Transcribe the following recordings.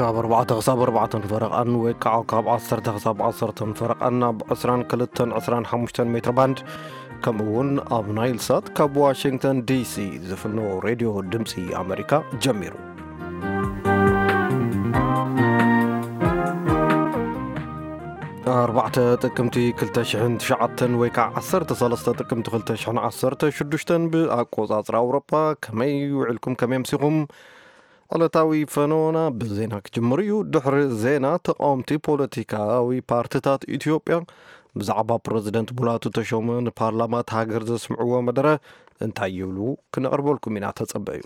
ካብ ኣርባዕተ ክሳብ ኣርባዕተን ፈረቓን ወይ ከዓ ካብ ዓሰርተ ክሳብ ዓሰርተን ፈረቓን ኣብ ዕስራን ክልተን ዕስራን ሓሙሽተን ሜትር ባንድ፣ ከምኡ እውን ኣብ ናይል ሳት ካብ ዋሽንግተን ዲሲ ዝፍኖ ሬድዮ ድምፂ ኣሜሪካ ጀሚሩ። ኣርባዕተ ጥቅምቲ ክልተ ሽሕን ትሽዓተን ወይ ከዓ ዓሰርተ ሰለስተ ጥቅምቲ ክልተ ሽሕን ዓሰርተ ሽዱሽተን ብኣቆፃፅራ ኣውሮፓ። ከመይ ውዕልኩም? ከመይ ኣምሲኹም? ዕለታዊ ፈነወና ብዜና ክጅምር እዩ። ድሕሪ ዜና፣ ተቃወምቲ ፖለቲካዊ ፓርቲታት ኢትዮጵያ ብዛዕባ ፕረዚደንት ሙላቱ ተሾመ ንፓርላማ እቲ ሃገር ዘስምዕዎ መደረ እንታይ ይብሉ? ክነቕርበልኩም ኢና፣ ተጸበዩ።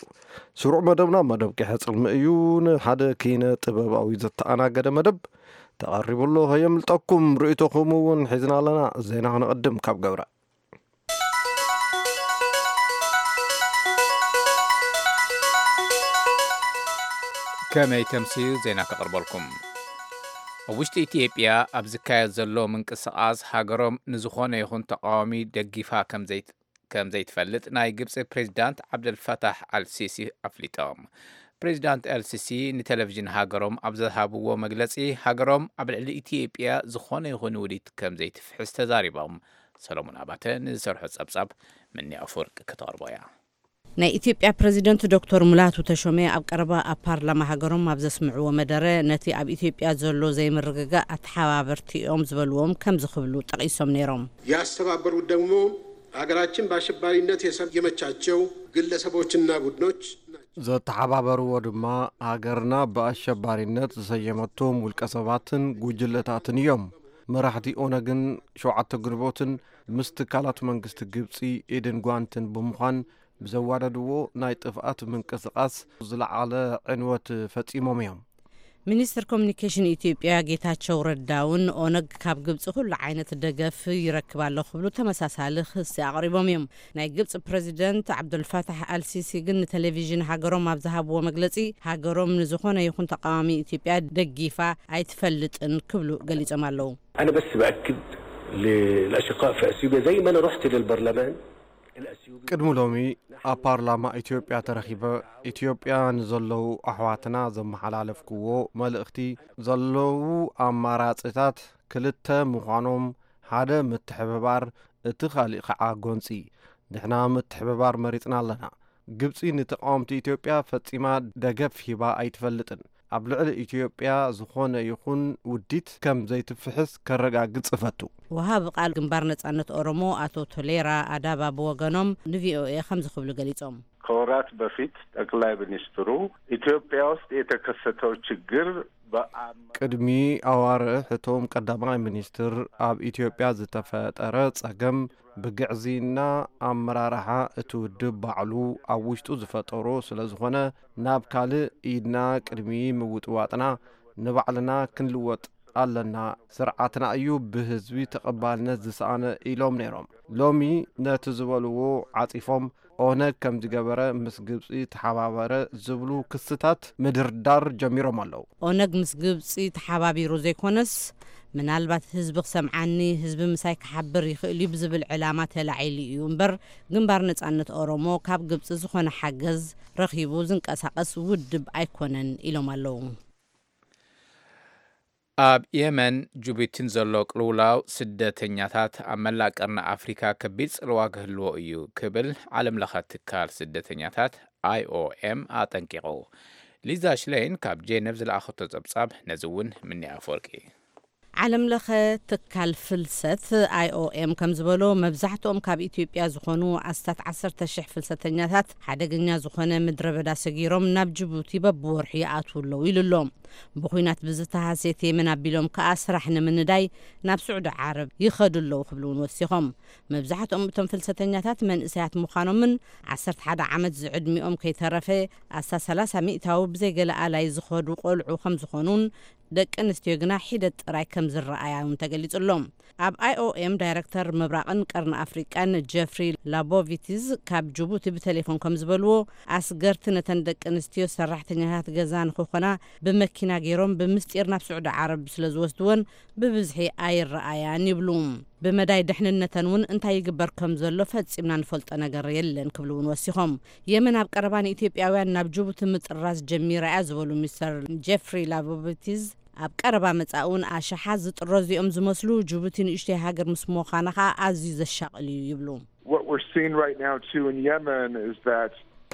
ስሩዕ መደብና መደብ ቂሐ ጽልሚ እዩ። ንሓደ ኪነ ጥበባዊ ዘተኣናገደ መደብ ተቐሪቡ ኣሎ። ከየምልጠኩም፣ ርእይቶኹም እውን ሒዝና ኣለና። ዜና ክነቐድም ካብ ገብረ። ከመይ ተምስዩ ዜና ከቕርበልኩም። ኣብ ውሽጢ ኢትዮጵያ ኣብ ዝካየድ ዘሎ ምንቅስቓስ ሃገሮም ንዝኾነ ይኹን ተቃዋሚ ደጊፋ ከም ዘይት-፣ ከም ዘይትፈልጥ ናይ ግብፂ ፕሬዚዳንት ዓብደልፈታሕ ኣልሲሲ ኣፍሊጦም። ፕሬዚዳንት ኣልሲሲ ንቴሌቪዥን ሃገሮም ኣብ ዝሃብዎ መግለፂ፣ ሃገሮም ኣብ ልዕሊ ኢትዮጵያ ዝኾነ ይኹን ውዲት ከም ዘይትፍሕስ ተዛሪቦም። ሰሎሞን ኣባተ ንዝሰርሖ ጸብጻብ ምኒ ኣፈወርቂ ከተቕርቦ እያ። ናይ ኢትዮጵያ ፕረዚደንት ዶክተር ሙላቱ ተሾመ ኣብ ቀረባ ኣብ ፓርላማ ሃገሮም ኣብ ዘስምዕዎ መደረ፣ ነቲ ኣብ ኢትዮጵያ ዘሎ ዘይምርግጋእ ኣተሓባበርቲ እዮም ዝበልዎም ከምዚ ክብሉ ጠቒሶም ነይሮም። ያስተባበሩት ደግሞ ሀገራችን በአሸባሪነት የሰየመቻቸው ግለሰቦችና ቡድኖች ናቸው። ዘተሓባበርዎ ድማ ሃገርና ብኣሸባሪነት ዝሰየመቶም ውልቀ ሰባትን ጉጅለታትን እዮም። መራሕቲ ኦነግን ሸውዓተ ግንቦትን ምስ ትካላት መንግስቲ ግብጺ ኢድን ጓንትን ብምዃን ብዘዋደድዎ ናይ ጥፍኣት ምንቅስቓስ ዝለዓለ ዕንወት ፈጺሞም እዮም። ሚኒስትር ኮሚኒኬሽን ኢትዮጵያ ጌታቸው ረዳ እውን ኦነግ ካብ ግብፂ ኩሉ ዓይነት ደገፍ ይረክብ ኣሎ ክብሉ ተመሳሳሊ ክሲ ኣቕሪቦም እዮም። ናይ ግብፂ ፕረዚደንት ዓብዱልፋታሕ ኣልሲሲ ግን ንቴሌቪዥን ሃገሮም ኣብ ዝሃብዎ መግለፂ፣ ሃገሮም ንዝኾነ ይኹን ተቃዋሚ ኢትዮጵያ ደጊፋ ኣይትፈልጥን ክብሉ ገሊጾም ኣለዉ። أنا بس بأكد للأشقاء في أثيوبيا زي ما أنا رحت للبرلمان الأثيوبي. ቅድሚ ሎሚ ኣብ ፓርላማ ኢትዮጵያ ተረኺበ፣ ኢትዮጵያ ንዘለዉ ኣሕዋትና ዘመሓላለፍክዎ መልእኽቲ፣ ዘለዉ ኣማራጺታት ክልተ ምዃኖም፣ ሓደ ምትሕብባር፣ እቲ ካሊእ ከዓ ጎንጺ። ንሕና ምትሕብባር መሪጽና ኣለና። ግብጺ ንተቃወምቲ ኢትዮጵያ ፈጺማ ደገፍ ሂባ ኣይትፈልጥን። ኣብ ልዕሊ ኢትዮጵያ ዝኾነ ይኹን ውዲት ከም ዘይትፍሕስ ከረጋግጽ እፈቱ። ወሃቢ ቃል ግንባር ነጻነት ኦሮሞ ኣቶ ቶሌራ ኣዳባ ብወገኖም ንቪኦኤ ከምዚ ክብሉ ገሊጾም። ከወራት በፊት ጠቅላይ ሚኒስትሩ ኢትዮጵያ ውስጥ የተከሰተው ችግር በአመ- ቅድሚ ኣዋርሕ እቶም ቀዳማይ ሚኒስትር ኣብ ኢትዮጵያ ዝተፈጠረ ጸገም ብግዕዝይና ኣመራርሓ እቲ ውድብ ባዕሉ ኣብ ውሽጡ ዝፈጠሮ ስለ ዝኾነ፣ ናብ ካልእ ኢድና ቅድሚ ምውጥዋጥና ንባዕልና ክንልወጥ ኣለና። ስርዓትና እዩ ብህዝቢ ተቐባልነት ዝሰኣነ ኢሎም ነይሮም። ሎሚ ነቲ ዝበልዎ ዓጺፎም፣ ኦነግ ከም ዝገበረ ምስ ግብጺ ተሓባበረ ዝብሉ ክስታት ምድርዳር ጀሚሮም ኣለዉ። ኦነግ ምስ ግብጺ ተሓባቢሩ ዘይኮነስ፣ ምናልባት ህዝቢ ክሰምዓኒ፣ ህዝቢ ምሳይ ክሓብር ይኽእል እዩ ብዝብል ዕላማ ተላዒሉ እዩ እምበር፣ ግንባር ነጻነት ኦሮሞ ካብ ግብጺ ዝኾነ ሓገዝ ረኺቡ ዝንቀሳቐስ ውድብ ኣይኮነን ኢሎም ኣለዉ። ኣብ የመን ጅቡቲን ዘሎ ቅልውላው ስደተኛታት ኣብ መላእ ቀርኒ ኣፍሪካ ከቢድ ጽልዋ ክህልዎ እዩ ክብል ዓለም ለኸ ትካል ስደተኛታት ኣይኦኤም ኣጠንቂቑ። ሊዛ ሽሌን ካብ ጄነቭ ዝለኣኸቶ ጸብጻብ ነዚ እውን ምኒ ኣፈወርቂ። ዓለም ለኸ ትካል ፍልሰት ኣይኦኤም ከም ዝበሎ፣ መብዛሕትኦም ካብ ኢትዮጵያ ዝኾኑ ኣስታት ዓሰርተ ሽሕ ፍልሰተኛታት ሓደገኛ ዝኾነ ምድረ በዳ ሰጊሮም ናብ ጅቡቲ በብወርሑ ይኣትዉ ኣለዉ ኢሉ ኣሎ። ብኹናት ብዝተሃስየት የመን ኣቢሎም ከኣ ስራሕ ንምንዳይ ናብ ስዑዲ ዓረብ ይኸዱ ኣለዉ ክብሉ እውን ወሲኾም። መብዛሕትኦም እቶም ፍልሰተኛታት መንእሰያት ምዃኖምን ዓሰርተ ሓደ ዓመት ዝዕድሚኦም ከይተረፈ ኣስታት ሰላሳ ሚእታዊ ብዘይ ገለ ኣላይ ዝኸዱ ቆልዑ ከም ዝኾኑን ደቂ ኣንስትዮ ግና ሒደት ጥራይ ከም ዝረኣያ እውን ተገሊጹ ኣሎ። ኣብ ኣይኦኤም ዳይረክተር ምብራቕን ቀርኒ ኣፍሪቃን ጀፍሪ ላቦቪቲዝ ካብ ጅቡቲ ብቴሌፎን ከም ዝበልዎ፣ ኣስገርቲ ነተን ደቂ ኣንስትዮ ሰራሕተኛታት ገዛ ንኽኾና ብመኪና ገይሮም ብምስጢር ናብ ስዑዲ ዓረብ ስለ ዝወስድወን ብብዝሒ ኣይረኣያን ይብሉ። ብመዳይ ድሕንነተን እውን እንታይ ይግበር ከም ዘሎ ፈጺምና ንፈልጦ ነገር የለን ክብሉ እውን ወሲኾም። የመን ኣብ ቀረባ ንኢትዮጵያውያን ናብ ጅቡቲ ምጥራዝ ጀሚራ እያ ዝበሉ ሚስተር ጄፍሪ ላቮቪቲዝ፣ ኣብ ቀረባ መጻኢ እውን ኣሽሓት ዝጥረዙ እዮም ዝመስሉ። ጅቡቲ ንእሽተይ ሃገር ምስ ምዃና ከኣ ኣዝዩ ዘሻቕል እዩ ይብሉ። What we're seeing right now too in Yemen is that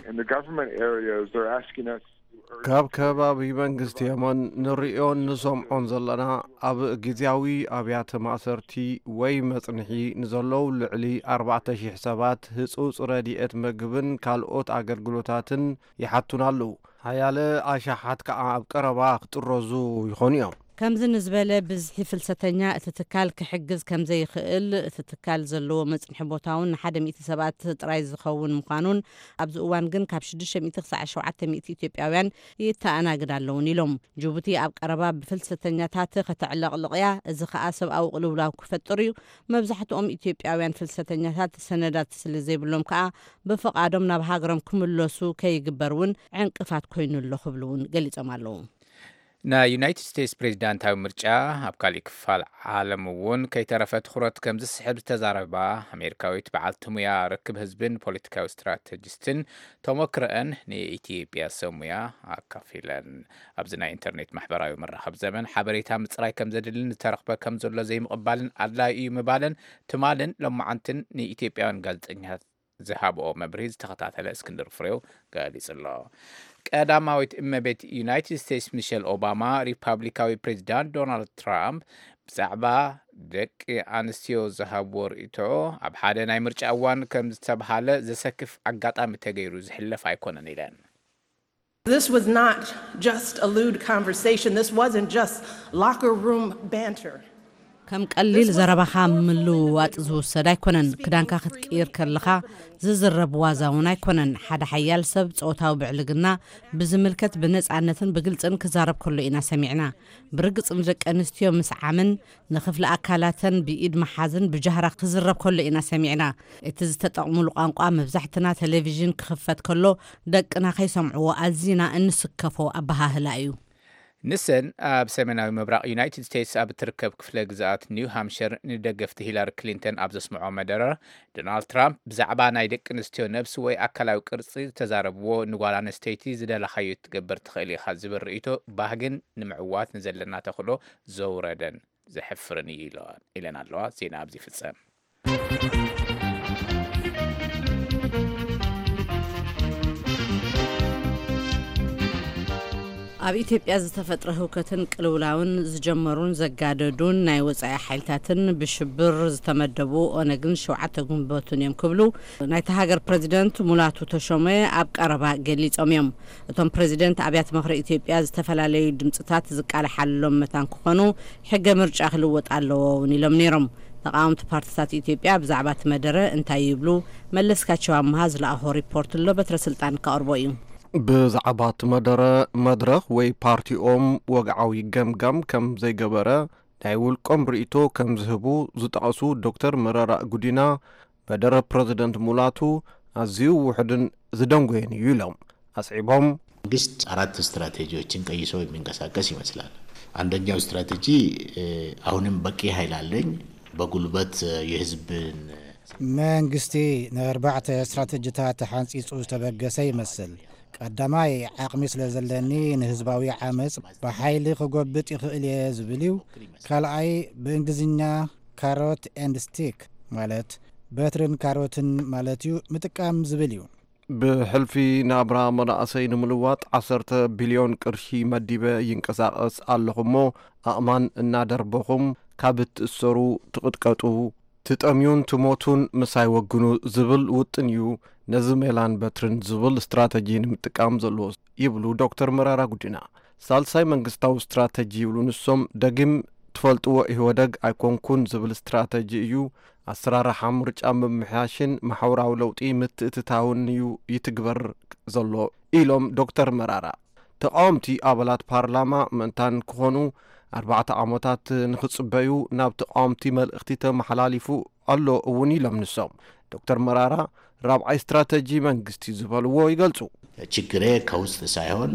in the government areas they're asking us to urge ካብ ከባቢ መንግስቲ የመን ንርእዮን ንሰምዖን ዘለና ኣብ ግዜያዊ ኣብያተ ማእሰርቲ ወይ መጽንሒ ንዘለዉ ልዕሊ ኣርባዕተ ሺሕ ሰባት ህጹጽ ረድኤት ምግብን ካልኦት ኣገልግሎታትን ይሓቱና ኣለዉ። ሓያለ ኣሽሓት ከኣ ኣብ ቀረባ ክጥረዙ ይኾኑ እዮም። ከምዚ ንዝበለ ብዝሒ ፍልሰተኛ እቲ ትካል ክሕግዝ ከም ዘይኽእል፣ እቲ ትካል ዘለዎ መጽንሒ ቦታ እውን ንሓደ ሚእቲ ሰባት ጥራይ ዝኸውን ምዃኑን፣ ኣብዚ እዋን ግን ካብ ሽዱሽተ ሚእቲ ክሳዕ ሸውዓተ ሚእቲ ኢትዮጵያውያን ይተኣናግድ ኣለውን ኢሎም። ጅቡቲ ኣብ ቀረባ ብፍልሰተኛታት ከተዕለቕልቕ እያ። እዚ ከኣ ሰብኣዊ ቅልውላው ክፈጥር እዩ። መብዛሕትኦም ኢትዮጵያውያን ፍልሰተኛታት ሰነዳት ስለ ዘይብሎም ከኣ ብፍቓዶም ናብ ሃገሮም ክምለሱ ከይግበር እውን ዕንቅፋት ኮይኑ ኣሎ ክብሉ እውን ገሊጾም ኣለዉ። ናይ ዩናይትድ ስቴትስ ፕሬዚዳንታዊ ምርጫ ኣብ ካሊእ ክፋል ዓለም እውን ከይተረፈ ትኹረት ከም ዝስሕብ ዝተዛረባ ኣሜሪካዊት በዓልቲ ሙያ ርክብ ህዝብን ፖለቲካዊ ስትራተጂስትን ተሞክረአን ንኢትዮጵያ ሰብ ሙያ ኣካፊለን። ኣብዚ ናይ ኢንተርኔት ማሕበራዊ መራኸብ ዘመን ሓበሬታ ምፅራይ ከም ዘድልን ዝተረኽበ ከም ዘሎ ዘይምቕባልን ኣድላዩ እዩ ምባለን ትማልን ሎማዓንትን ንኢትዮጵያውያን ጋዜጠኛታት ዝሃብኦ መብርሂ ዝተኸታተለ እስክንድር ፍሬው ገሊጹ ኣሎ። ቀዳማዊት እመቤት ዩናይትድ ስቴትስ ሚሸል ኦባማ ሪፓብሊካዊ ፕሬዚዳንት ዶናልድ ትራምፕ ብዛዕባ ደቂ ኣንስትዮ ዝሃብዎ ርእይቶ ኣብ ሓደ ናይ ምርጫ እዋን ከም ዝተብሃለ ዘሰክፍ ኣጋጣሚ ተገይሩ ዝሕለፍ ኣይኮነን ኢለን። This was not just a lewd conversation. This wasn't just locker room banter. ከም ቀሊል ዘረባኻ ምልውዋጥ ዝውሰድ ኣይኮነን። ክዳንካ ክትቅይር ከለኻ ዝዝረብ ዋዛ እውን ኣይኮነን። ሓደ ሓያል ሰብ ጾታዊ ብዕልግና ብዝምልከት ብነጻነትን ብግልጽን ክዛረብ ከሎ ኢና ሰሚዕና። ብርግጽ ንደቂ ኣንስትዮ ምስዓምን ንኽፍሊ ኣካላተን ብኢድ ምሓዝን ብጃህራ ክዝረብ ከሎ ኢና ሰሚዕና። እቲ ዝተጠቕሙሉ ቋንቋ መብዛሕትና ቴሌቪዥን ክኽፈት ከሎ ደቅና ከይሰምዕዎ ኣዚና እንስከፎ ኣበሃህላ እዩ። ንሰን ኣብ ሰሜናዊ ምብራቕ ዩናይትድ ስቴትስ ኣብ እትርከብ ክፍለ ግዝኣት ኒው ሃምሸር ንደገፍቲ ሂላሪ ክሊንተን ኣብ ዘስምዖ መደረ፣ ዶናልድ ትራምፕ ብዛዕባ ናይ ደቂ ኣንስትዮ ነብሲ ወይ ኣካላዊ ቅርጺ ዝተዛረብዎ ንጓል ኣንስተይቲ ዝደለኻዮ ክትገብር ትኽእል ኢኻ ዝብል ርእይቶ ባህግን ንምዕዋት ንዘለና ተኽእሎ ዘውረደን ዘሕፍርን እዩ ኢለን ኣለዋ። ዜና ኣብዚ ይፍጸም። ኣብ ኢትዮጵያ ዝተፈጥረ ህውከትን ቅልውላውን ዝጀመሩን ዘጋደዱን ናይ ወጻኢ ሓይልታትን ብሽብር ዝተመደቡ ኦነግን ሸውዓተ ግንቦትን እዮም ክብሉ ናይታ ሃገር ፕረዚደንት ሙላቱ ተሾመ ኣብ ቀረባ ገሊጾም እዮም። እቶም ፕረዚደንት ኣብያተ ምኽሪ ኢትዮጵያ ዝተፈላለዩ ድምፅታት ዝቃለሓሎም መታን ክኾኑ ሕገ ምርጫ ክልወጥ ኣለዎ እውን ኢሎም ነይሮም። ተቃወምቲ ፓርቲታት ኢትዮጵያ ብዛዕባ እቲ መደረ እንታይ ይብሉ? መለስካቸው ኣምሃ ዝለኣኾ ሪፖርት ኣሎ፣ በትረ ስልጣን ከቕርቦ እዩ። ብዛዕባ እቲ መደረ መድረኽ ወይ ፓርቲኦም ወግዓዊ ገምጋም ከም ዘይገበረ ናይ ውልቆም ርእይቶ ከም ዝህቡ ዝጠቐሱ ዶክተር መረራ ጉዲና፣ መደረ ፕረዚደንት ሙላቱ ኣዝዩ ውሑድን ዝደንጎየን እዩ ኢሎም ኣስዒቦም። መንግስት አራት ስትራቴጂዎችን ቀይሶ የሚንቀሳቀስ ይመስላል። አንደኛው ስትራቴጂ አሁንም በቂ ኃይል አለኝ፣ በጉልበት የህዝብን መንግስቲ ንኣርባዕተ ስትራቴጂታት ሓንጺጹ ዝተበገሰ ይመስል። ቀዳማይ ዓቕሚ ስለ ዘለኒ ንህዝባዊ ዓመጽ ብሓይሊ ክጎብጥ ይኽእል እየ ዝብል እዩ። ካልኣይ ብእንግሊዝኛ ካሮት ኤንድ ስቲክ ማለት በትርን ካሮትን ማለት እዩ ምጥቃም ዝብል እዩ። ብሕልፊ ናብራ መናእሰይ ንምልዋጥ ዓሰርተ ቢልዮን ቅርሺ መዲበ ይንቀሳቐስ ኣለኹ እሞ ኣእማን እናደርበኹም ካብ እትእሰሩ ትቕጥቀጡ ትጠምዩን ትሞቱን ምሳይ ወግኑ ዝብል ውጥን እዩ ነዚ ሜላን በትርን ዝብል ስትራተጂ ንምጥቃም ዘለዎ ይብሉ ዶክተር መራራ ጉዲና። ሳልሳይ መንግስታዊ ስትራተጂ ይብሉ ንሶም ደጊም ትፈልጥዎ ኢህወደግ ኣይኮንኩን ዝብል ስትራተጂ እዩ። ኣሰራርሓ ምርጫ ምምሕያሽን ማሕበራዊ ለውጢ ምትእትታውን እዩ ይትግበር ዘሎ ኢሎም ዶክተር መራራ። ተቃወምቲ ኣባላት ፓርላማ ምእንታን ክኾኑ ኣርባዕተ ዓመታት ንኽጽበዩ ናብ ተቃወምቲ መልእኽቲ ተመሓላሊፉ ኣሎ እውን ኢሎም ንሶም። ዶክተር መራራ ራብዓይ ስትራተጂ መንግስቲ ዝበልዎ ይገልጹ። ችግሬ ከውስጥ ሳይሆን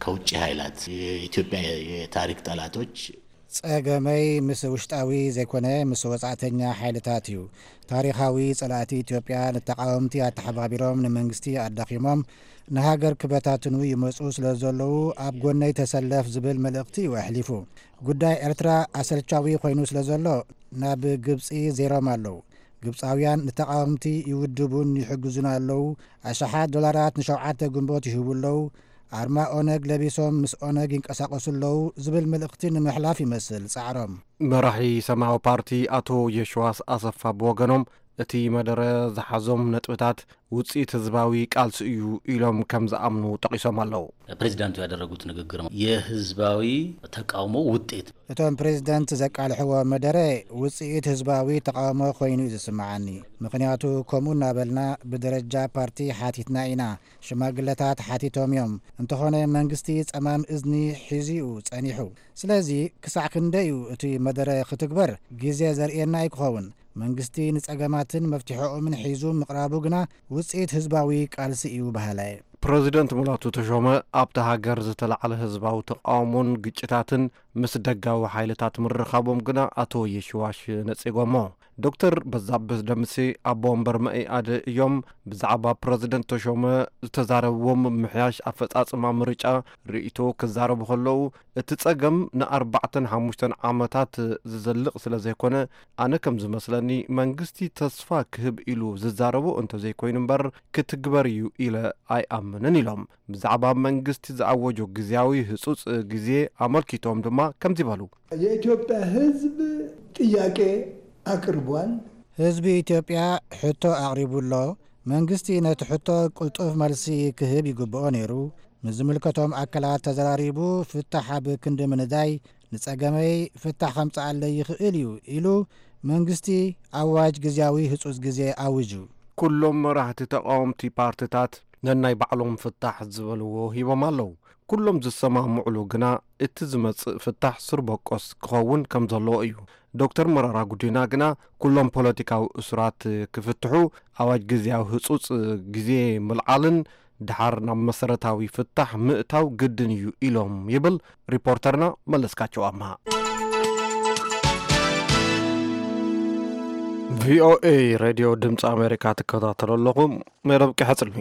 ከውጭ ኃይላት የኢትዮጵያ የታሪክ ጠላቶች ጸገመይ ምስ ውሽጣዊ ዘይኮነ ምስ ወጻእተኛ ሓይልታት እዩ። ታሪኻዊ ጸላእቲ ኢትዮጵያ ንተቓወምቲ ኣተሓባቢሮም ንመንግስቲ ኣዳኺሞም ንሃገር ክበታትኑ ይመጹ ስለ ዘለዉ ኣብ ጎነይ ተሰለፍ ዝብል መልእኽቲ እዩ ኣሕሊፉ። ጉዳይ ኤርትራ ኣሰልቻዊ ኮይኑ ስለ ዘሎ ናብ ግብጺ ዜሮም ኣለዉ። ግብጻውያን ንተቓወምቲ ይውድቡን ይሕግዙን ኣለዉ። ኣሽሓት ዶላራት ንሸውዓተ ግንቦት ይህቡ ኣለዉ። ኣርማ ኦነግ ለቢሶም ምስ ኦነግ ይንቀሳቐሱ ኣለዉ ዝብል መልእኽቲ ንምሕላፍ ይመስል ጻዕሮም። መራሒ ሰማያዊ ፓርቲ ኣቶ የሽዋስ ኣሰፋ ብወገኖም፣ እቲ መደረ ዝሓዞም ነጥብታት ውጽኢት ህዝባዊ ቃልሲ እዩ ኢሎም ከም ዝኣምኑ ጠቒሶም ኣለዉ። ፕሬዚዳንቱ ያደረጉት ንግግር የህዝባዊ ተቃውሞ ውጤት። እቶም ፕሬዚደንት ዘቃልሕዎ መደረ ውጽኢት ህዝባዊ ተቃውሞ ኮይኑ እዩ ዝስምዓኒ። ምኽንያቱ ከምኡ እናበልና ብደረጃ ፓርቲ ሓቲትና ኢና። ሽማግለታት ሓቲቶም እዮም። እንተኾነ መንግስቲ ጸማም እዝኒ ሒዙ እዩ ጸኒሑ። ስለዚ ክሳዕ ክንደይ እዩ እቲ መደረ ክትግበር ግዜ ዘርእየና ኣይክኸውን። መንግስቲ ንጸገማትን መፍትሒኦምን ሒዙ ምቕራቡ ግና ውጽኢት ህዝባዊ ቃልሲ እዩ በሃላይ። ፕረዚደንት ሙላቱ ተሾመ ኣብታ ሃገር ዝተላዕለ ህዝባዊ ተቃውሞን ግጭታትን ምስ ደጋዊ ሓይልታት ምርኻቦም ግና ኣቶ የሽዋሽ ነጺጎሞ። ዶክተር በዛብህ ደምሴ ኣቦ ወንበር መኢኣድ እዮም። ብዛዕባ ፕረዚደንት ተሾመ ዝተዛረብዎም ምሕያሽ ኣፈጻጽማ ምርጫ ርእይቶ ክዛረቡ ከለዉ፣ እቲ ጸገም ንኣርባዕተን ሓሙሽተን ዓመታት ዝዘልቕ ስለ ዘይኮነ፣ ኣነ ከም ዝመስለኒ መንግስቲ ተስፋ ክህብ ኢሉ ዝዛረቦ እንተዘይኮይኑ እምበር ክትግበር እዩ ኢለ ኣይኣምንን ኢሎም። ብዛዕባ መንግስቲ ዝኣወጆ ግዝያዊ ህጹጽ ግዜ ኣመልኪቶም ድማ ከምዚ በሉ። የኢትዮጵያ ህዝብ ጥያቄ ኣቅርቧል። ህዝቢ ኢትዮጵያ ሕቶ ኣቕሪቡ ኣሎ። መንግስቲ ነቲ ሕቶ ቅልጡፍ መልሲ ክህብ ይግብኦ ነይሩ። ምስ ዝምልከቶም ኣካላት ተዘራሪቡ ፍታሕ ኣብ ክንዲ ምንዳይ ንጸገመይ ፍታሕ ከምጽኣለይ ይኽእል እዩ ኢሉ መንግስቲ ኣዋጅ ግዝያዊ ህጹጽ ግዜ ኣዊጁ። ኩሎም መራሕቲ ተቃወምቲ ፓርትታት ነናይ ባዕሎም ፍታሕ ዝበልዎ ሂቦም ኣለዉ። ኩሎም ዝሰማምዕሉ ግና እቲ ዝመጽእ ፍታሕ ስር በቆስ ክኸውን ከም ዘለዎ እዩ። ዶክተር መረራ ጉዲና ግና ኩሎም ፖለቲካዊ እሱራት ክፍትሑ፣ ኣዋጅ ግዝያዊ ህጹጽ ግዜ ምልዓልን ድሓር ናብ መሰረታዊ ፍታሕ ምእታው ግድን እዩ ኢሎም ይብል ሪፖርተርና መለስካቸው ኣምሃ። ቪኦኤ ሬድዮ ድምፂ ኣሜሪካ ትከታተሉ ኣለኹም። መደብ ቀሐጽልሚ።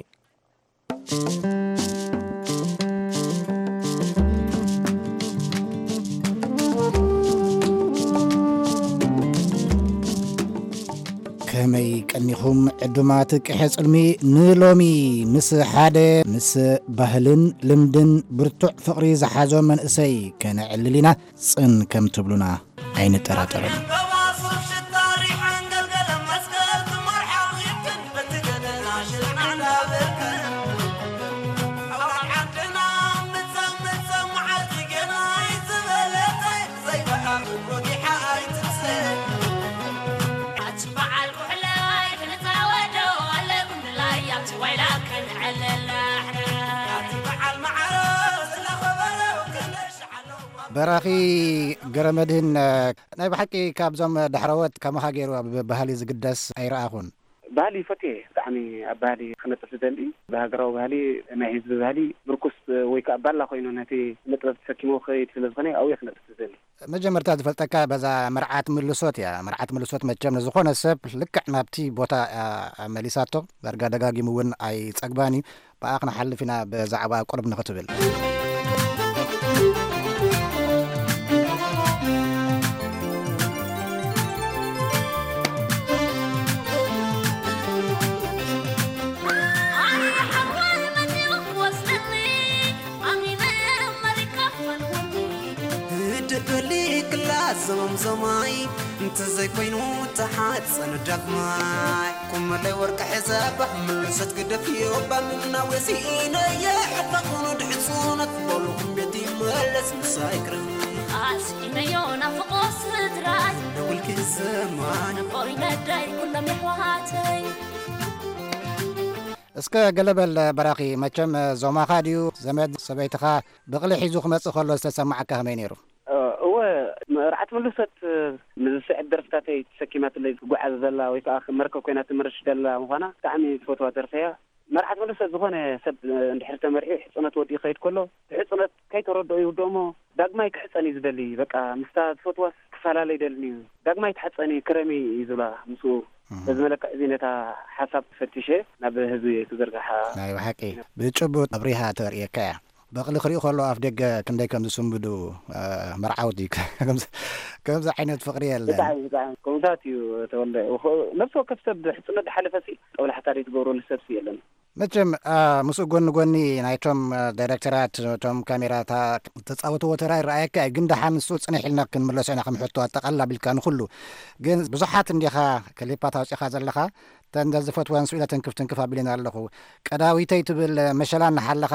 ከመይ ቀኒኹም ዕዱማት ቀሐጽልሚ? ንሎሚ ምስ ሓደ ምስ ባህልን ልምድን ብርቱዕ ፍቕሪ ዝሓዞ መንእሰይ ከነዕልል ኢና። ጽን ከም ትብሉና ኣይንጠራጠርን። በራኺ ገረመድህን፣ ናይ ብሓቂ ካብዞም ዳሕረዎት ከማኻ ገይሩ ኣብ ባህሊ ዝግደስ ኣይረኣኹን። ባህሊ ይፈትየ፣ ብጣዕሚ ኣብ ባህሊ ክነጥፍ ዝደሊ፣ ብሃገራዊ ባህሊ፣ ናይ ህዝቢ ባህሊ ምርኩስ ወይ ከዓ ባላ ኮይኑ ነቲ ስነ ጥበብ ተሰኪሞ ክኸይድ ስለ ዝኾነ ኣብኡ እየ ክነጥፍ ዝደሊ። መጀመርታ ዝፈልጠካ በዛ መርዓት ምልሶት እያ። መርዓት ምልሶት መቸም ንዝኾነ ሰብ ልክዕ ናብቲ ቦታ እያ መሊሳቶ። ዳርጋ ደጋጊሙ እውን ኣይጸግባን እዩ። ብኣ ክንሓልፍ ኢና ብዛዕባ ቁርብ ንኽትብል። ደበሊ ክላስ ዘመምዘማይ እንተዘይኮይኑ ተሓፀን ዳግማይ። ኩመለይ ወርቂ ሕዘባ ምልሰት ግደፍዮ ባምና ወሲኢነየ ሕፈኹኑ ድሕፁነት በሉ ኩምቤት ይመለስ ምሳይክርን። ኣስኢነዮ ናፍቆ ስድራይ ደውልኪ ዘማን። ነቦይ ነዳይ ኩሎም የሕዋተይ። እስከ ገለ በል በራኺ፣ መቸም ዞማኻ ድዩ ዘመድ ሰበይትኻ ብቕሊ ሒዙ ክመጽእ ከሎ ዝተሰማዓካ ከመይ ነይሩ? እ፣ እወ፣ መርዓት ምልሶት፣ እ፣ ንዝስዕብ ደርፍታተይ ተሰኪማትለይ ትጓዓዝ ዘላ ወይ ከዓ መርከብ ኮይና ትምርሽ ዘላ ምዃና ብጣዕሚ ዝፈትዋ ደርፊ እያ። መርዓት መለሰ ዝኾነ ሰብ፣ እ፣ እንድሕር ተመርዒ ሕጽነት ወዲኡ ክኸይድ ከሎ፣ እቲ ሕጽነት ከይተረድኦ ይውድኦ እሞ ዳግማይ ክሕጸን እዩ ዝደሊ። በቃ ምስታ ዝፈትዋስ ክፈላለ ይደልን እዩ። ዳግማይ ትሓጸኒ ክረሚ እዩ ዝብላ ምስኡ። እህ። በዚ መለክዕ እዚ ነታ ሓሳብ ፈቲሸ ናብ ህዝቢ ክዝርግሓ። ናይ ብሓቂ ብጭቡጥ ኣብሪሃ ተርእየካ እያ። በቕሊ ክሪኡ ከሎ ኣፍ ደገ ክንደይ ከም ዝስንብዱ፣ እ፣ መርዓውቲ። ከምዚ፣ ከምዚ ዓይነት ፍቕሪ የለን። ብጣዕሚ፣ ብጣዕሚ። ከምኡታት እዩ ተወልደ። ወኸ-፣ ነፍሲ ወከፍ ሰብ ሕጽነት ዝሓለፈ ሲ ጠብላሕታ ደይ ትገብረሉ ሰብ ሲ የለን። መቸም፣ አ፣ ምስኡ ጎኒ ጎኒ ናይቶም፣ አ፣ ዳይሬክተራት፣ እቶም ካሜራታ ተጻወትዎ ተራ ይረኣየካ እዩ። ግን ደሓን ንሱ ጽንሕ ኢልና ክንምለሶ ኢና ከም ሕቶ ኣጠቓልል ኣቢልካ ንኹሉ። ግን ብዙሓት እንዲኻ ክሊፓት ኣውጺኻ ዘለኻ፣ እተን ዝፈትወን ስኢለ ትንክፍ ትንክፍ ኣቢለና ኣለኹ። ቀዳዊተይ ትብል መሸላ እናሓለኻ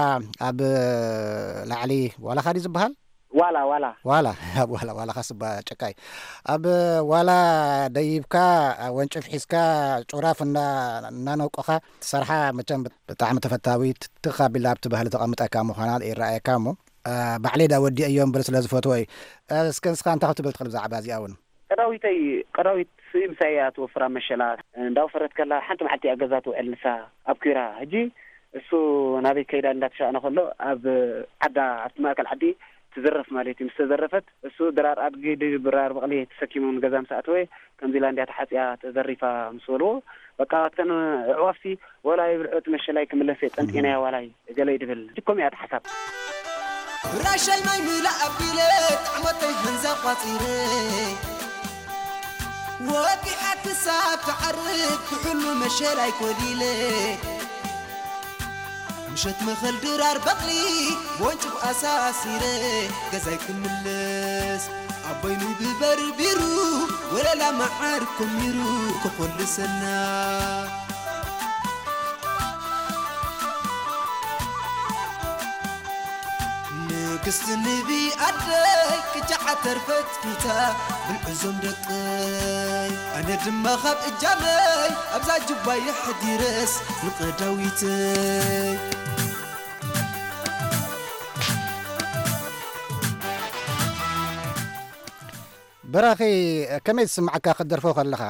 ኣብ ላዕሊ ዋላኻ ድዩ ዝበሃል? ዋላ፣ ዋላ። ዋላ፣ ኣብ ዋላ፣ ዋላኻ ስባ ጨቃይ። ኣብ ዋላ ደይብካ፣ ወንጭፍ ሒዝካ፣ ጩራፍ እና-፣ እናነውቆኻ ትሰርሓ መቸም ብጣዕሚ ተፈታዊት፣ ትኽ ኣቢላ ኣብቲ ባህሊ ተቐምጠካ ምዃና ይረኣየካ እሞ፣ አ፣ ባዕለይ ዳ ወዲአዮ እምበር ስለ ዝፈትዎ እዩ። አ፣ እስከ ንስኻ እንታይ ክትብል ትኽእል ብዛዕባ እዚኣ እውን? ቀዳዊተይ፣ ቀዳዊት ስኢ ምሳይ እያ ትወፍራ መሸላ። እንዳወፈረት ከላ ሓንቲ መዓልቲ እያ ገዛ ትውዕል ንሳ ኣብ ኲራ። ሕጂ እሱ ናበይ ከይዳ እንዳተሻእነ ከሎ ኣብ ዓዳ፣ ኣብቲ ማእከል ዓዲ ትዝረፍ ማለት እዩ። ምስ ተዘረፈት እሱ ድራር ኣድጊ ድራር በቕሊ ተሰኪሙ ንገዛ ምስ ኣተወ ከምዚ ኢላ እንድያ ተሓጽያ ተዘሪፋ ምስ በልዎ፣ በቃ እተን ኣዕዋፍሲ ወላ ይብልዖ እቲ መሸላይ ክምለስ እየ ጸንጢናያ ዋላይ ገለ ይድብል። ሕጂ ከምኡ እያ እታ ሓሳብ። ራሻይ ማይ ምላእ ኣቢለ ጣዕመተይ ህንዛ ቋጺረ ወዲሓ ክሳብ ትዓርብ ብሕሉ መሸላይ ኮሊለ ምሸት መኸል ድራር በቕሊ ወንጭፍ ኣሳሲረ ገዛይ ክምለስ ኣቦይ ምግቢ በርቢሩ ወለላ መዓር ኮሚሩ ክኾልሰና። ንግስቲ ንቢ ኣደይ ቅጫ ዓተር ፈትፊታ ብልዕዞም ደቀይ ኣነ ድማ ካብ እጃመይ ኣብዛ ጅባ የሕዲረስ ንቐዳዊተይ። በራኺ፣ ከመይ ዝስምዓካ ክትደርፎ ከለኻ?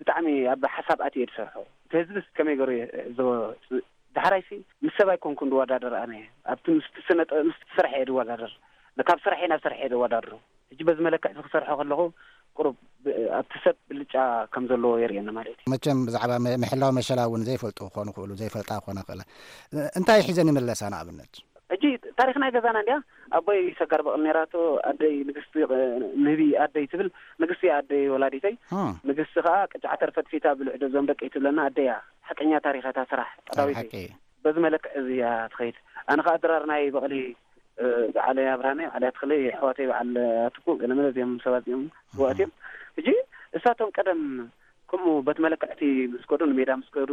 ብጣዕሚ ኣብ ሓሳብ ኣትየ ዝሰርሖ። እቲ ህዝብስ ከመይ ገይሩ የ-፣ ዝ-፣ ዳሕራይሲ ምስ ሰብ ኣይኮንኩን ዝወዳደር ኣነ። ኣብቲ ምስቲ ስነ ጥ-፣ ምስቲ ስራሕ እየ ዝወዳደር። ካብ ስራሐይ ናብ ስራሕ እየ ዘወዳድሮ። ሕጂ በዚ መለክዕ እዚ ክሰርሖ ከለኹ ቁሩብ ብ-፣ ኣብቲ ሰብ ብልጫ ከም ዘለዎ የርእየኒ ማለት እዩ። መቸም ብዛዕባ መ-፣ ምሕላው መሸላ እውን ዘይፈልጡ ክኾኑ ይኽእሉ፣ ዘይፈልጣ ክኾና ይኽእላ። እ-፣ እንታይ ሒዘን ይምለሳ ንኣብነት? ሕጂ ታሪኽ ናይ ገዛና እንድያ። ኣቦይ ሰጋር በቕሊ ነይራቶ፣ ኣደይ ንግስቲ፣ እ፣ ንህቢ ኣደይ ትብል። ንግስቲ እያ ኣደይ ወላዲተይ። እ። ንግስቲ ከኣ ቅጫ ዓተር ፈትፊታ ብልዕዶ እዞም ደቀይ ትብለና ኣደይ እያ። ሓቀኛ ታሪኽ እታ ስራሕ ናይ ቀዳዊተይ። ሓቂ። በዚ መለክዕ እዚ እያ ትኸይድ። ኣነ ከኣ ድራር ናይ በቕሊ፣ እ፣ በዓል ኣብርሃመይ፣ በዓል ኣትኽለይ፣ ኣሕዋተይ፣ በዓል ኣትኩ፣ ገለመለ እዚኦም ሰባት እዚኦም ስውኣት እዮም። ሕጂ እሳቶም ቀደም ከምኡ በት መለክዕቲ ምስ ከዱ፣ ንሜዳ ምስ ከዱ፣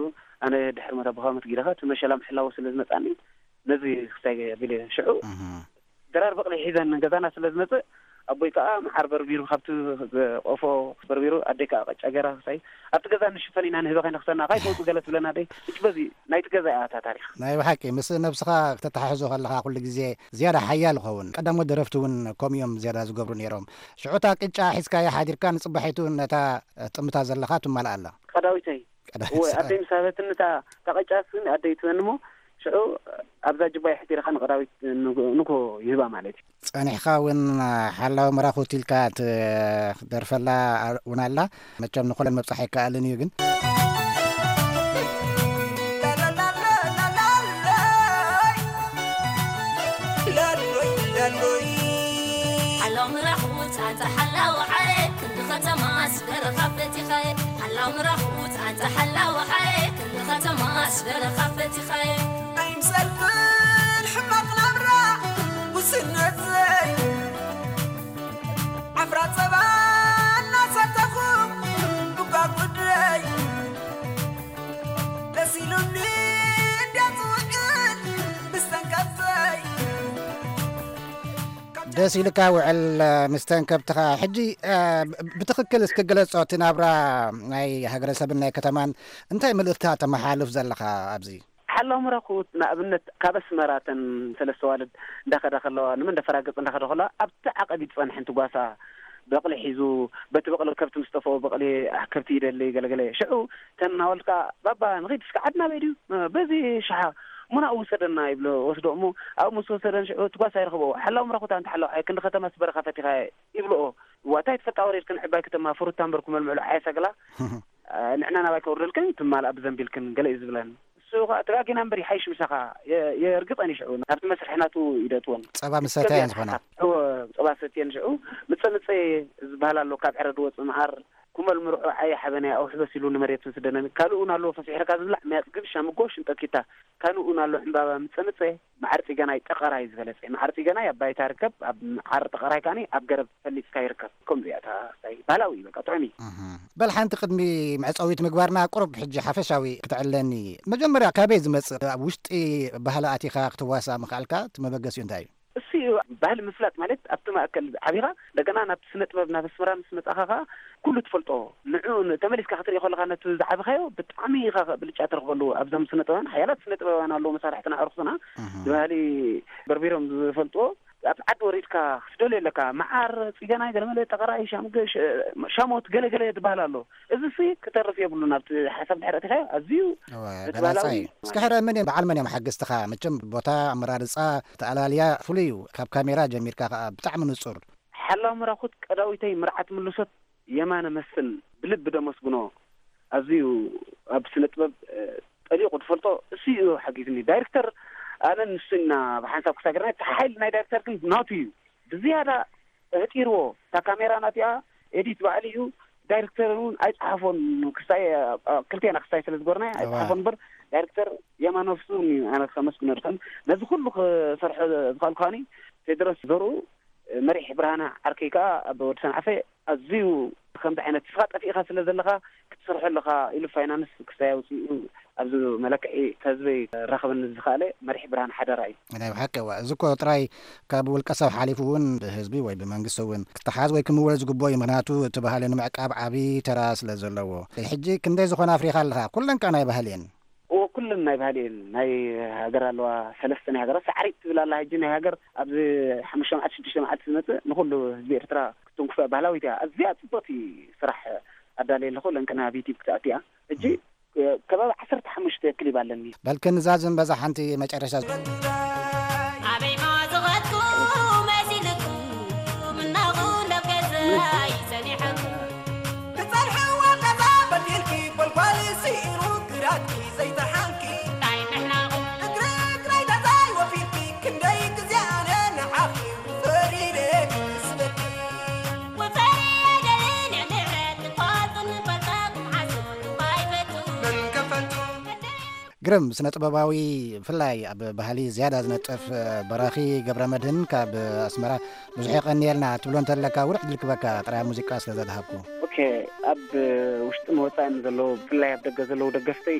ኣነ ድሕሪ ሞት ኣቦኻ ሞት ጊደኻ፣ እቲ መሸላ ምሕላው ስለ ዝመጻኒ፣ ነዚ ክሳይ ኣቢለ ሽዑ እህ። ድራር በቕሊ ሒዘን ገዛና ስለ ዝመጽእ፣ ኣቦይ ከኣ መዓር በርቢሩ፣ ካብቲ ቆፎ በርቢሩ፣ ኣደይ ከኣ ቅጫ ገይራ ክሳይ፣ ኣብቲ ገዛ ንሽፈን ኢና ንህበኻ ነኽሰና፣ ካይ ትወጹ ገለ ትብለና ኣደይ። እች በዚ ናይቲ ገዛ እያ እታ ታሪኽ። ናይ ብሓቂ፣ ምስ ነብስኻ ክተተሓሕዞ ከለኻ ኩሉ ግዜ ዝያዳ ሓያል ይኸውን። ቀዳሞት ደረፍቲ እውን ከምኡ እዮም ዝያዳ ዝገብሩ ነይሮም። ሽዑ እታ ቅጫ ሒዝካያ ሓዲርካ ንጽባሒቱ ነታ ጥምታ ዘለኻ ትማልኣ ኣላ። ቀዳዊተይ። ቀዳዊት እወ፣ ሰዓት። ኣደይ ምስ ሃበትኒ እታ፣ እታ ቅጫ ስኒ ኣደይ ትበኒ እሞ፣ ሽዑ ኣብዛ ጅባ የሕዲርኻ ንቀዳዊት ንግ-፣ ንግሆ ይህባ ማለት እዩ። ጸኒሕካ እውን ሓላዊ መራኹት ኢልካ ትደርፈላ እውን ኣላ። መቸም ንኹለን ምብጻሕ ኣይከኣልን እዩ ግን። ሓላው ምራኹት ኣንታ ሓላው ዓረ ክንዲ ከተማ ስደረኻ ፈቲኻየ። ሓላው ምራኹት ኣንታ ሓላው ዓረ ክንዲ ከተማ ስደረኻ ፈቲኻየ። ኣይምሰልክን ሕማቕ ናብራ ውስነተይ ዓፍራ ጸባ እናሰተኹ ብጓጉደይ ደስ ኢሉኒ እንድያ ዝውዕል ምስ ተንከፍተይ። ደስ ኢልካ ውዕል፣ እ፣ ምስ ተንከፍትኻ። ሕጂ፣ እ፣ ብ-፣ ብትኽክል እስኪ ግለጾ፣ እቲ ናብራ ናይ ሃገረሰብን ናይ ከተማን እንታይ መልእኽቲ ተመሓላልፍ ዘለኻ ኣብዚ? ሓላው ምራኹት ንኣብነት ካብ ኣስመራ እተን ሰለስተ ዋልድ እንዳኸዳ ከለዋ፣ ንመን እንዳፈራገጽ እንዳኸዳ ከለዋ፣ ኣብቲ ዓቐብ እዩ ዝጸንሐን ትጓሳ በቕሊ ሒዙ፣ በቲ በቕሊ ከብቲ ምስ ጠፍኦ፣ በቕሊ፣ ኣሕ፣ ከብቲ ይደሊ፣ ገለገለ። ሽዑ ተን እናበልካ፣ "ባባ፣ ንኺድ እስከ ዓድና በይ ድዩ? በዚ ሸሓ፣ እሞ ናብኡ ውሰደና" ይብሎ። ወስዶ እሞ ኣብኡ ምስ ወሰደን ሽዑ እቲ ጓሳ ይረኽቦ። "ሓላው ምራኹት ኣንታ ሓላው ዓየ፣ ክንዲ ከተማስ በረኻ ፈቲኻ" ይብልኦ። "እዋ፣ እንታይ ትፈልጣ ወሪድክን ዕባይ ከተማ ፍሩታ እምበር ክመልምዕሉ ዓየ ሰግላ?" "እ፣ ንዕና ናባይ ከውርደልክን ትማልኣ ብዘንቢልክን" ገለ እዩ ዝብለን። እሱ ኸኣ "ተጋጊና እምበር ይሓይሽ ምሳኻ" የ-፣ የርግጸን እዩ። ሽዑ ናብቲ መስርሒ ናቱ ይደእትወን። ጸባ ምሰተየን ዝኾና። እወ፣ ጸባ ሰትየን ሽዑ ምጸ ምጸ ዝበሃል ኣሎ፣ ካብ ዕረ ድወጽእ መዓር፣ ኩመል ምርዑ ዓየ ሓበናይ ኣውሕበስ ኢሉ ንመሬት ምስደነን። ካልእ እውን ኣሎ ፈሲሕርካ ዝብላዕ፣ መያጽ ግብሻ፣ ምጎ፣ ሽንጠኪታ። ካልእ እውን ኣሎ ዕምባባ ምጸ ምጸ፣ መዓር ጽገናይ ጠቐራይ ዝበለጸ። መዓር ጽገናይ ኣብ ባይታ ይርከብ፣ ኣብ መዓር ጠቐራይ ከኣኒ ኣብ ገረብ ፈሊጽካ ይርከብ። ከምዚኣ እታ ስታይ ባህላዊ እዩ፣ በቃ ጥዑም እዩ። እህ። በል ሓንቲ ቅድሚ መዕጸዊት ምግባርና ቁሩብ ሕጂ ሓፈሻዊ ክትዕለኒ። መጀመርያ ካበይ ዝመጽእ ኣብ ውሽጢ ባህሊ ኣቲኻ ክትዋሳእ ምኽኣልካ እቲ መበገሲኡ እንታይ እዩ? እሱ እዩ ባህሊ ምፍላጥ ማለት ኣብቲ ማእከል ዓቢኻ እንደገና ናብቲ ስነ ጥበብ ናብ ኣስመራ ምስ መጻኻ ኸኣ ኩሉ ትፈልጦ ንዕኡ ን-፣ ተመሊስካ ክትርኢ ከለኻ ነቲ ዝዓበኻዮ ብጣዕሚ ኢኻ ብልጫ ትረኽበሉ። ኣብዞም ስነ ጥበባውያን ሓያላት ስነ ጥበባውያን ኣለዉ መሳርሕትና ኣዕሩኽትና እህ። ብባህሊ በርቢሮም ዝፈልጥዎ ኣብ ዓዲ ወሪድካ ክትደልዮ ኣለካ። መዓር፣ ጽገናይ፣ ገለመለ፣ ጠቐራይ፣ ሻምገ፣ ሸ-፣ ሻሞት፣ ገለገለ ትበሃል ኣሎ። እዚ ሲ ክተርፍ የብሉን። ኣብቲ ሓሳብ ድሕሪ ኣቲኻዮ ኣዝዩ እወ፣ እቲ ገላጻ ባህላዊ እዩ። እስኪ ሕረ መን እዮም፣ በዓል መን እዮም ሓገዝትኻ? መቸም ቦታ ኣመራርጻ፣ ተኣላልያ ፍሉይ እዩ። ካብ ካሜራ ጀሚርካ ከኣ ብጣዕሚ ንጹር። ሓላው ምራኹት ቀዳዊተይ ምርዓት ምልሶት የማነ መስፍን ብልቢ ደመስግኖ። ኣዝዩ ኣብ ስነ ጥበብ፣ እ፣ ጠሊቑ ዝፈልጦ እሱ እዩ ሓጊዝኒ። ዳይሬክተር ኣነን ንሱን ኢና ብሓንሳብ ክሳገርና። እቲ ሓይሊ ናይ ዳይሬክተር ግን ናቱ እዩ። ብዝያዳ ኣህጢርዎ። እታ ካሜራ ናቲኣ ኤዲት ባዕሉ እዩ። ዳይሬክተር እውን ኣይጸሓፎን። ክስታይ፣ እ፣ ክልቴና ክስታይ ስለ ዝጎርና እዋ። ኣይጸሓፎን እምበር ዳይሬክተር የማነ ፍስሁን እዩ። ኣነ ከመስግኖ ድኽእል ነዚ ኩሉ ክሰርሖ ዝኸኣልኩ ከኣኒ ቴድሮስ ዘርኡ፣ መሪሕ ብርሃነ ዓርከይ ከኣ ኣብ ወዲ ሰንዓፈ ኣዝዩ ከምዚ ዓይነት ንስኻ ጠፊእኻ ስለ ዘለኻ ክትሰርሖ ኣለኻ ኢሉ ፋይናንስ ክስታይ ኣውጺኡ ኣብዚ መለክዒ ከህዝበይ ከራኽበኒ ዝኸኣለ መሪሕ ብርሃነ ሓደራ እዩ። ናይ ብሓቂ እዋ፣ እዚ እኮ ጥራይ ካብ ውልቀ ሰብ ሓሊፉ እውን ብህዝቢ ወይ ብመንግስቲ እውን ክተሓዝ ወይ ክምወል ዝግብኦ እዩ። ምኽንያቱ እቲ ባህሊ ንምዕቃብ ዓቢ ተራ ስለ ዘለዎ። ሕጂ ክንደይ ዝኾነ ኣፍሪኻ ኣለኻ? ኩለን ከኣ ናይ ባህሊ እየን። እዎ፣ ኩለን ናይ ባህሊ እየን። ናይ ሃገር ኣለዋ፣ ሰለስተ ናይ ሃገር ሳዕሪት ትብል ኣላ። ሕጂ ናይ ሃገር ኣብዚ ሓሙሽተ መዓልቲ፣ ሽዱሽተ መዓልቲ ዝመጽእ ንኹሉ ህዝቢ ኤርትራ ክትንክፎ እያ። ባህላዊት እያ። ኣዝያ ጽብቕቲ ስራሕ ኣዳልየ ኣለኹ። ለንቅና ኣብ ዩቲዩብ ክትኣቱ እያ። ሕጂ ከባቢ ዓሰርተ ሓሙሽተ ክሊብ ኣለኒ። በልክን እዛ ዝንበዛ ሓንቲ መጨረሻ ኣበይ ማዝኸትኩ መሲልኩ ምናኹ ናብ ገዛይ ጸኒሐኩ። ትጸንሕዎ ገዛ በዲልኪ፣ ጎልጓል ስኢኑ ግራትኪ ዘይተሓንኪ። እንታይ ምሕናቑ? እግሪ እግረይ ገዛይ ወፊርኪ፣ ክንደይ ግዜ ኣነ ንዓኺ ፈሪደ ክስበኪ። ወፈሪ ኣይደልን ንዕንዕረት፣ ትፋቱን ፈልጣኩም ሓሶት እኳ ኣይፈቱ። መን ከፈልቱ? ግርም ስነ ጥበባዊ፣ ብፍላይ ኣብ ባህሊ ዝያዳ ዝነጥፍ፣ እ፣ በራኺ ገብረ መድህን ካብ ኣስመራ ብዙሕ የቐንየልና ትብሎ እንተለካ፣ ውርሕ ድልክበካ ጥራይ ሙዚቃ ስለ ዘድሃብኩ። ኦኬ፣ ኣብ ውሽጥን ወጻእን ዘለዉ፣ ብፍላይ ኣብ ደገ ዘለዉ ደገፍተይ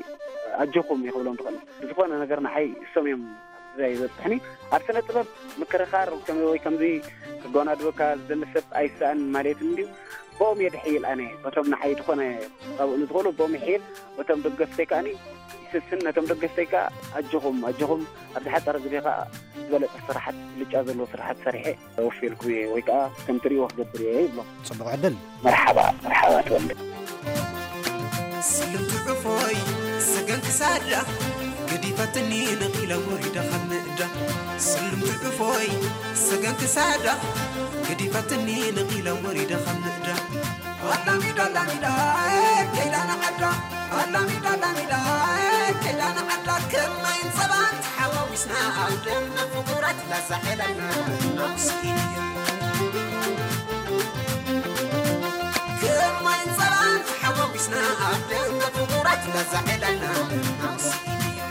ኣጆኹም ይኽብሎም ዝኽእል። ብዝኾነ ነገር ንዓይ እሶም እዮም ኣብዛ ይበጽሕኒ። ኣብ ስነ ጥበብ ምክርኻር ከም-፣ ወይ ከምዚ ክጎናድበካ ዝደሊ ሰብ ኣይሰኣን ማለት እንድዩ። ብኦም እየ ድሕይል ኣነ። በቶም ንዓይ ዝኾነ ካብኡ ንዝኽእሉ ብኦም ይሕይል። በቶም ደገፍተይ ከኣኒ ይስስን። ነቶም ደገፍተይ ከኣ ኣጆኹም፣ ኣጆኹም፣ ኣብ ዝሓጸረ ግዜ ከኣ ዝበለጸ ስራሓት፣ ብልጫ ዘለዎ ስራሓት ሰሪሐ ወፊልኩም እየ ወይ ከኣ ከም ትርእይዎ ክገብር እየ ይብሎም። ጽቡቕ ዕድል። መርሓባ፣ መርሓባ ተወልደ። ስልምቲ ዕፎይ ሰገን ክሳዳ ገዲፈትኒ ነቒለ ወሪደ ካብ ምእዳ። ስልምቲ ዕፎይ ሰገን ክሳዳ ገዲፈትኒ ነቒለ ወሪደ ካብ ምእዳ። ኣላሚዳ ኣላሚዳ ከይዳ ንዓዳ። ኣላሚዳ ኣላሚዳ ከይዳ ንዓዳ። ከማይን ጸባን ተሓዋዊስና ኣብ ደም ፍቑራት ላዛ ዕለልና ናውስኪን እዩ። ከማይን ጸባን ተሓዋዊስና ኣብ ደም ፍቑራት ላዛ ዕለልና ናውስኪን እዩ።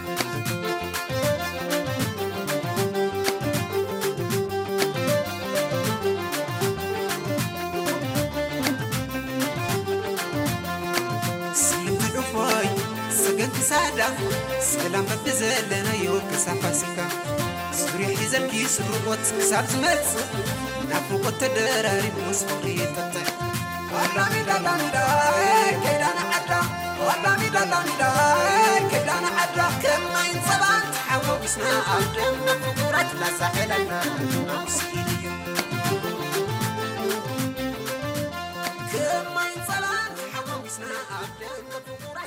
ስልምቲ ዕፎይ ሰገን ክሳዳ ሰላም በብዘለናዮ ክሳብ ፋሲካ። ዙርያ ሒዘልኪ ስርቆት ክሳብ ዝመጽእ ናፍቆት ተደራሪቡ ምስ ፍቕሪ ይጥጥዕ። ኣላሚዳ ኣላሚዳ ከይዳ ንዓዳ። ኣላሚዳ ኣላሚዳ ከይዳ ንዓዳ። ከማይን ጸባን ተሓዋዊስና ኣብ ደም ፍቑራት ላዛ ዕለልና ናውስኪን እዩ።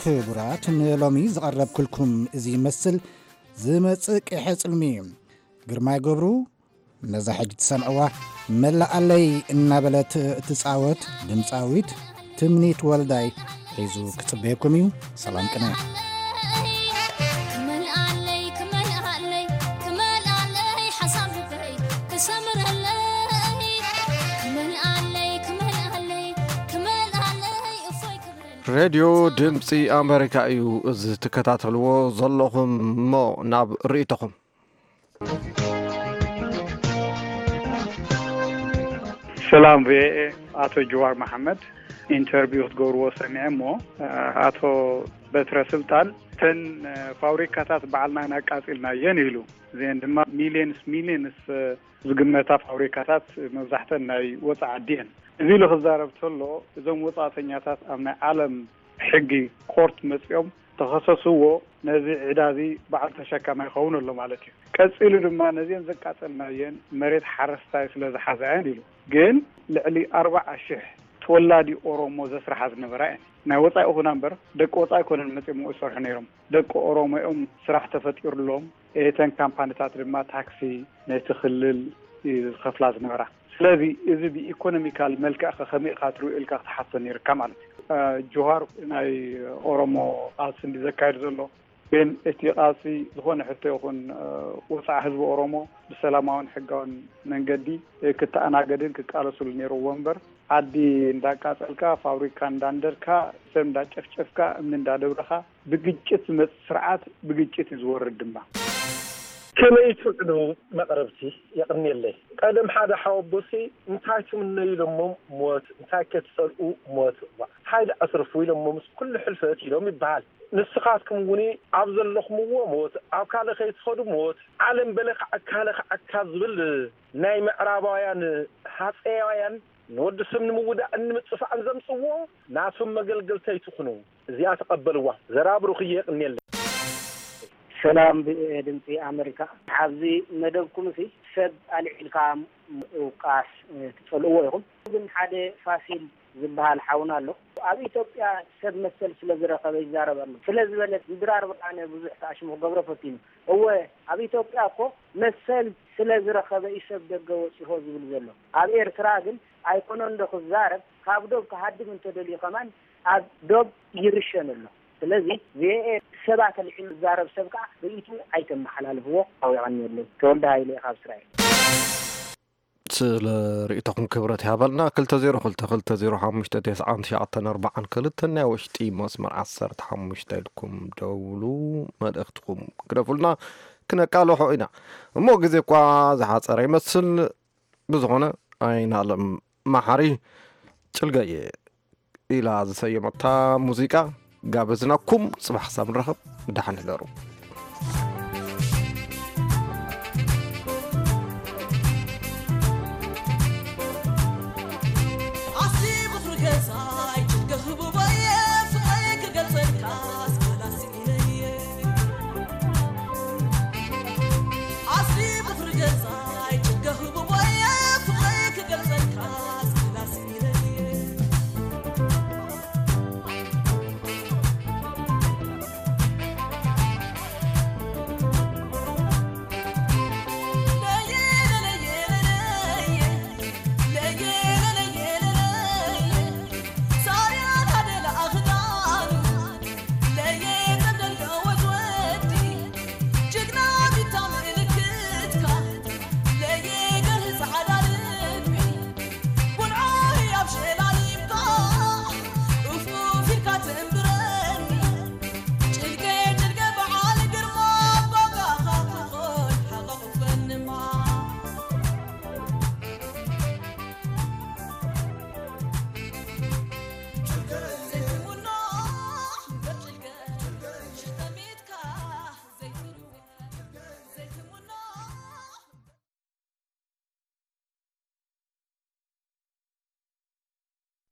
ክቡራት፣ ንሎሚ ዝቐረብኩልኩም እዚ ይመስል። ዝመጽእ ቅሐ ጽልሚ እዩ። ግርማይ ገብሩ ነዛ ሕጂ ትሰምዕዋ፣ መላኣለይ እናበለት እትጻወት ድምጻዊት ትምኒት ወልዳይ ሒዙ ክጽበየኩም እዩ። ሰላም ቅነ። ክመልኣለይ፣ ክመልኣለይ፣ ክመልኣለይ፣ ሓሳብ ልበይ ክሰምረለይ። ክመልኣለይ፣ ክመልኣለይ፣ ክመልኣለይ፣ እፎይ ክብለለይ። ሬድዮ ድምፂ ኣሜሪካ እዩ እዚ ትከታተልዎ ዘለኹም። እሞ ናብ ርእይቶኹም። ሰላም ቪኦኤ፣ ኣቶ ጅዋር መሓመድ ኢንተርቪው ክትገብርዎ ሰሚዐ እሞ፣ ኣቶ በትረ ስልጣን፣ እተን ፋብሪካታት ባዕልና ኢና ኣቃጺልናየን ኢሉ። እዚአን ድማ ሚልዮንስ ሚልዮንስ ዝግመታ ፋብሪካታት መብዛሕተን ናይ ወፃኢ ዓዲ እየን። እዚ ኢሉ ክዛረብ ከሎ፣ እዞም ወፃእተኛታት ኣብ ናይ ዓለም ሕጊ ኮርት መፂኦም ተኸሰስዎ፣ ነዚ ዕዳ እዚ በዓል ተሸካማይ ይኸውን ኣሎ ማለት እዩ። ቀፂሉ ድማ ነዚአን ዘቃጸልናየን መሬት ሓረስታይ ስለ ዝሓዛ እየን ኢሉ። ግን ልዕሊ ኣርባዓ ሽሕ ተወላዲ ኦሮሞ ዘስርሓ ዝነበራ እየን። ናይ ወፃኢ ይኹና እምበር ደቂ ወፃኢ ኣይኮነን መፂኦም ዝሰርሑ ነይሮም። ደቂ ኦሮሞ እዮም ስራሕ ተፈጢሩሎም። እተን ካምፓኒታት ድማ ታክሲ ነቲ ክልል እዩ ዝኸፍላ ዝነበራ። ስለዚ እዚ ብኢኮኖሚካል መልክዕ ከ ከመይ ኢኻ ትሪኦ ኢልካ ክትሓቶ ነይርካ ማለት እዩ። እ፣ ጆሃር ናይ ኦሮሞ ቃልሲ እንዲ ዘካየድ ዘሎ፣ ግን እቲ ቃልሲ ዝኾነ ሕቶ ይኹን፣ እ፣ ወፃኢ ህዝቢ ኦሮሞ ብሰላማውን ሕጋውን መንገዲ ክተኣናገድን ክቃለሱሉ ነይርዎ እምበር፣ ዓዲ እንዳቃጸልካ፣ ፋብሪካ እንዳንደድካ፣ ሰብ እንዳጨፍጨፍካ፣ እምኒ እንዳደብረኻ፣ ብግጭት ዝመጽእ ስርዓት ብግጭት እዩ ዝወርድ ድማ። ከመይ ትውዕሉ መቕረብቲ? የቕንየለይ። ቀደም ሓደ ሓወቦሲ እንታይ ትምነዩ ኢሎሞም ሞት፣ እንታይ ከ ትጸልኡ ሞት። እዋ፣ እንታይ ደኣ ኣስርፉ ኢሎሞምስ ኩሉ ሕልፈት ኢሎም ይበሃል። ንስኻትኩም እውን ኣብ ዘለኹምዎ ሞት፣ ኣብ ካልእ ከይትኸዱ ሞት፣ ዓለም በለ ከዓካ፣ ካለ ከዓካ ዝብል ናይ ምዕራባውያን ሃጸያውያን ንወዲ ሰብ ንምውዳእን ንምጽፋእን ዘምጽዎ ናቶም መገልገልቲ ኣይትኹኑ። እዚኣ ተቐበልዋ። ዘራብሩኽ እየ፣ የቕንየለይ። ሰላም፣ ብ-፣ ድምፂ ኣመሪካ። ኣብዚ መደብኩም ሲ ሰብ ኣልዒልካ ምውቃስ፣ እ፣ ትጸልእዎ ኢኹም። ግን ሓደ ፋሲል ዝበሃል ሓውና ኣሎ። ኣብ ኢትዮጵያ ሰብ መሰል ስለ ዝረኸበ ይዛረብ ኣሎ። ስለ ዝበለ ድራር ብርሃነ ብዙሕ ተኣሽሙ ክገብሮ ፈቲኑ። እወ፣ ኣብ ኢትዮጵያ እኮ መሰል ስለ ዝረኸበ እዩ ሰብ ደገ ወጺሆ ዝብል ዘሎ። ኣብ ኤርትራ ግን ኣይኮነን ዶ ክዛረብ፣ ካብ ዶብ ክሃድም እንተደልዩ ከማን ኣብ ዶብ ይርሸን ኣሎ። ስለዚ ቪኦኤ ሰባት ኣልዒሉ ዝዛረብ ሰብ ከዓ ርእይቱ ኣይተመሓላልፍዎ። ኣውያቐኒ የለይ። ተወልደ ሃይለ እየ ካብ እስራኤል። ስለ ርእይቶኹም ክብረት ይሃበልና። ክልተ ዜሮ ክልተ ክልተ ዜሮ ሓሙሽተ ተስዓን ትሽዓተን ኣርባዓን ክልተን ናይ ውሽጢ መስመር ዓሰርተ ሓሙሽተ ኢልኩም ደውሉ፣ መልእኽትኩም ግደፉልና፣ ክነቃልሖ ኢና። እሞ ግዜ እኳ ዝሓጸረ ይመስል። ብዝኾነ፣ ኣይናለም መሓሪ ጭልገየ ኢላ ዝሰየመታ ሙዚቃ ጋበዝናኩም። ጽባሕ ክሳብ ንራኸብ፣ ደሓን ሕደሩ።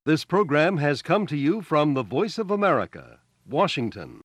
This program has come to you from the Voice of America, Washington.